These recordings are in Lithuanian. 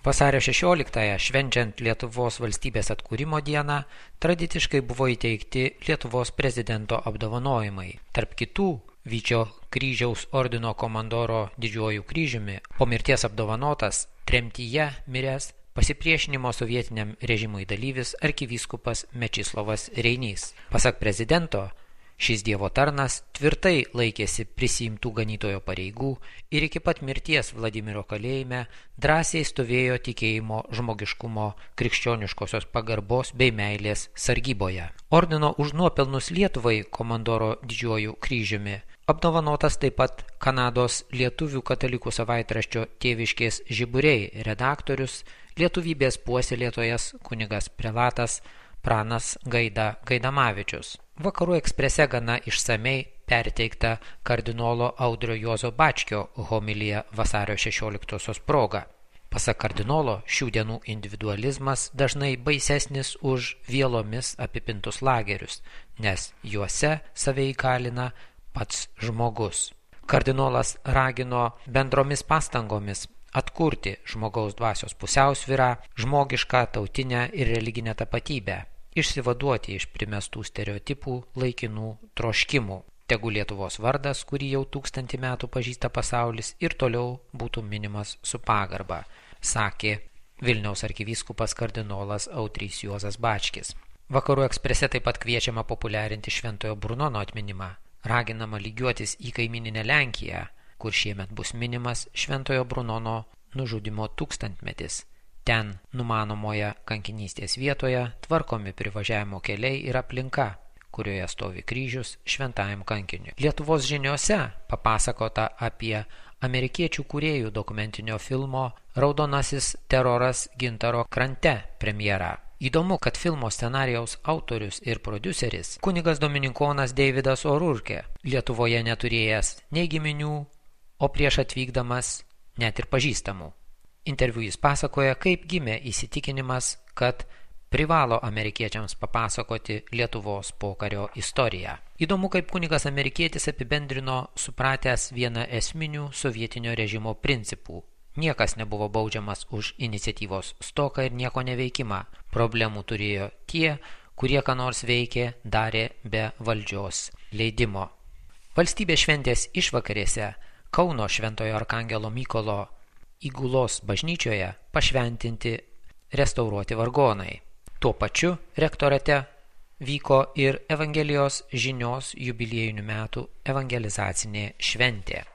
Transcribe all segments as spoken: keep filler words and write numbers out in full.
Vasario šešioliktąją, švenčiant Lietuvos valstybės atkūrimo dieną, tradiciškai buvo įteikti Lietuvos prezidento apdovanojimai. Tarp kitų Vyčio kryžiaus ordino komandoro didžiuoju kryžiumi, po mirties apdovanotas, tremtyje miręs pasipriešinimo sovietiniam režimui dalyvis arkivyskupas Mečislovas Reinys. Pasak prezidento, šis dievo tarnas tvirtai laikėsi prisiimtų ganytojo pareigų ir iki pat mirties Vladimiro kalėjime drąsiai stovėjo tikėjimo, žmogiškumo, krikščioniškosios pagarbos bei meilės sargyboje. Ordino už nuopelnus Lietuvai komandoro didžiuoju kryžiumi apdovanotas taip pat Kanados lietuvių katalikų savaitraščio Tėviškės žiburiai redaktorius, lietuvybės puoselėtojas kunigas prelatas Pranas Gaida Gaidamavičius. Vakarų eksprese gana išsamei perteikta kardinolo Audrio Juozo Bačkio homilija vasario šešioliktosios proga. Pasak kardinolo, šių dienų individualizmas dažnai baisesnis už vielomis apipintus lagerius, nes juose save įkalina pats žmogus. Kardinolas ragino bendromis pastangomis atkurti žmogaus dvasios pusiausvyrą, žmogišką, tautinę ir religinę tapatybę, išsivaduoti iš primestų stereotipų, laikinų troškimų. Tegu Lietuvos vardas, kurį jau tūkstantį metų pažįsta pasaulis, ir toliau būtų minimas su pagarba, sakė Vilniaus arkivyskupas kardinolas Audrys Juozas Bačkis. Vakarų eksprese taip pat kviečiama populiarinti Šventojo Brunono atminimą, raginama lygiuotis į kaimyninę Lenkiją, kur šiemet bus minimas Šventojo Brunono nužudymo tūkstantmetis. Ten numanomoje kankinystės vietoje tvarkomi privažiavimo keliai ir aplinka, kurioje stovi kryžius šventajam kankiniui. Lietuvos žiniose papasakota apie amerikiečių kūrėjų dokumentinio filmo Raudonasis teroras Gintaro krante premjerą. Įdomu, kad filmo scenarijaus autorius ir prodiuseris kunigas dominikonas Deividas O'Rourke, Lietuvoje neturėjęs nei giminių, o prieš atvykdamas net ir pažįstamų. Interviu jis pasakoja, kaip gimė įsitikinimas, kad privalo amerikiečiams papasakoti Lietuvos pokario istoriją. Įdomu, kaip kunigas amerikietis apibendrino supratęs vieną esminių sovietinio režimo principų. Niekas nebuvo baudžiamas už iniciatyvos stoką ir nieko neveikimą. Problemų turėjo tie, kurie ką nors veikė, darė be valdžios leidimo. Valstybės šventės išvakarėse Kauno Šventojo Arkangelo Mykolo Įgulos bažnyčioje pašventinti restauruoti vargonai. Tuo pačiu rektorate vyko ir Evangelijos žinios jubiliejinių metų evangelizacinė šventė.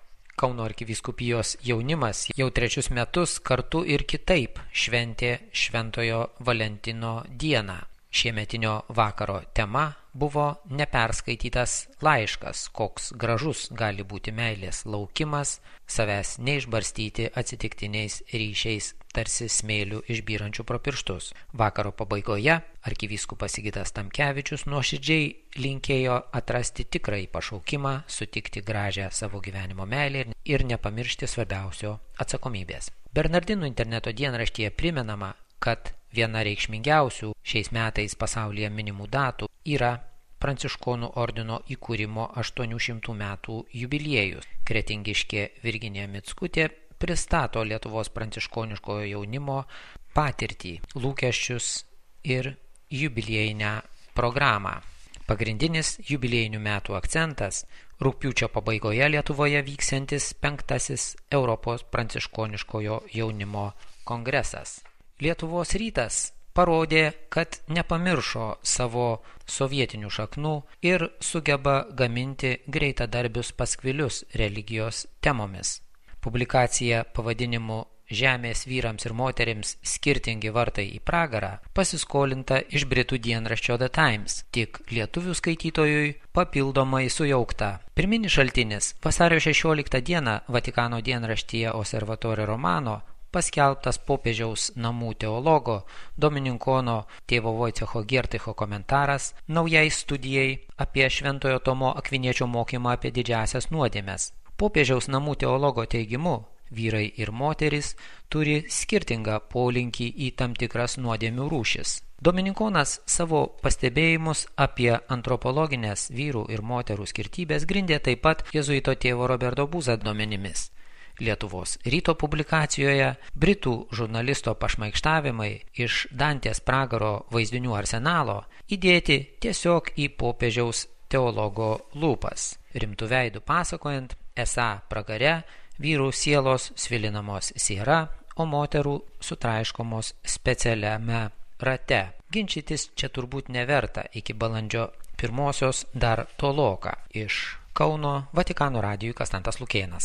Kauno arkivyskupijos jaunimas jau trečius metus kartu ir kitaip šventė Šventojo Valentino dieną. Šiemetinio vakaro tema buvo neperskaitytas laiškas, koks gražus gali būti meilės laukimas, savęs neišbarstyti atsitiktiniais ryšiais, tarsi smėlių išbyrančių pro pirštus. Vakaro pabaigoje arkivyskupas Sigitas Tamkevičius nuoširdžiai linkėjo atrasti tikrąjį pašaukimą, sutikti gražią savo gyvenimo meilę ir nepamiršti svarbiausio atsakomybės. Bernardinų interneto dienraštyje primenama, kad viena reikšmingiausių šiais metais pasaulyje minimų datų yra Pranciškonų ordino įkūrimo aštuonių šimtų metų jubiliejus. Kretingiškė Virginija Mickutė pristato Lietuvos pranciškoniškojo jaunimo patirtį, lūkesčius ir jubiliejinę programą. Pagrindinis jubiliejinių metų akcentas – rugpjūčio pabaigoje Lietuvoje vyksiantis penktasis Europos pranciškoniškojo jaunimo kongresas. Lietuvos rytas parodė, kad nepamiršo savo sovietinių šaknų ir sugeba gaminti greitadarbius paskvilius religijos temomis. Publikacija pavadinimu Žemės vyrams ir moterims skirtingi vartai į pragarą pasiskolinta iš britų dienraščio The Times, tik lietuvių skaitytojui papildomai sujaukta. Pirminis šaltinis vasario šešioliktą dieną Vatikano dienraštyje Osservatore Romano paskelbtas popiežiaus namų teologo Domininkono tėvo Vojcecho Gierticho komentaras naujai studijai apie Šventojo Tomo Akviniečio mokymą apie didžiąsias nuodėmes. Popiežiaus namų teologo teigimu, vyrai ir moteris turi skirtingą polinkį į tam tikras nuodėmių rūšis. Dominikonas savo pastebėjimus apie antropologinės vyrų ir moterų skirtybės grindė taip pat jėzuito tėvo Roberto Buza duomenimis. Lietuvos ryto publikacijoje, britų žurnalisto pašmaikštavimai iš Dantės pragaro vaizdinių arsenalo įdėti tiesiog į popiežiaus teologo lūpas, rimtų veidų pasakojant, esą pragare vyrų sielos svilinamos siera, o moterų sutraiškomos specialiame rate. Ginčytis čia turbūt neverta, iki balandžio pirmosios dar toloka. Iš Kauno Vatikano radijui Konstantas Lukėnas.